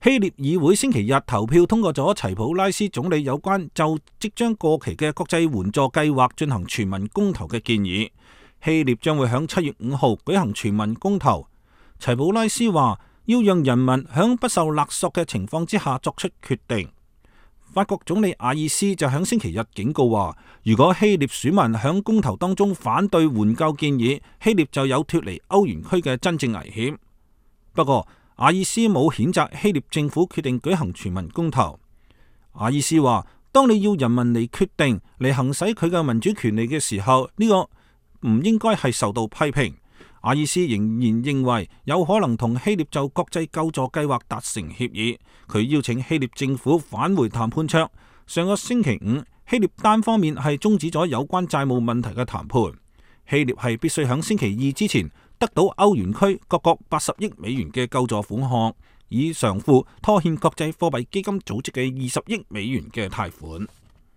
希臘議會星期日投票通過咗齊普拉斯總理有關就即將過期嘅國際援助計劃進行全民公投嘅建議。希臘將會喺7月5號舉行全民公投。齊普拉斯話要讓人民喺不受勒索嘅情況之下作出決定。法國總理阿爾斯就喺星期日警告話，如果希臘選民喺公投當中反對援救建議，希臘就有脫離歐元區嘅真正危險。不過，阿爾斯冇譴責希臘政府決定舉行全民公投。阿爾斯話，當你要人民嚟決定嚟行使佢嘅民主權利嘅時候，呢個唔應該係受到批評。阿爾斯仍然認為有可能同希臘就國際救助計劃達成協議。佢邀請希臘政府返回談判桌。上個星期五，希臘單方面係終止咗有關債務問題嘅談判。希臘係必須喺星期二之前得到歐元區各國80億美元嘅救助款項，以償付拖欠國際貨幣基金組織嘅20億美元嘅貸款。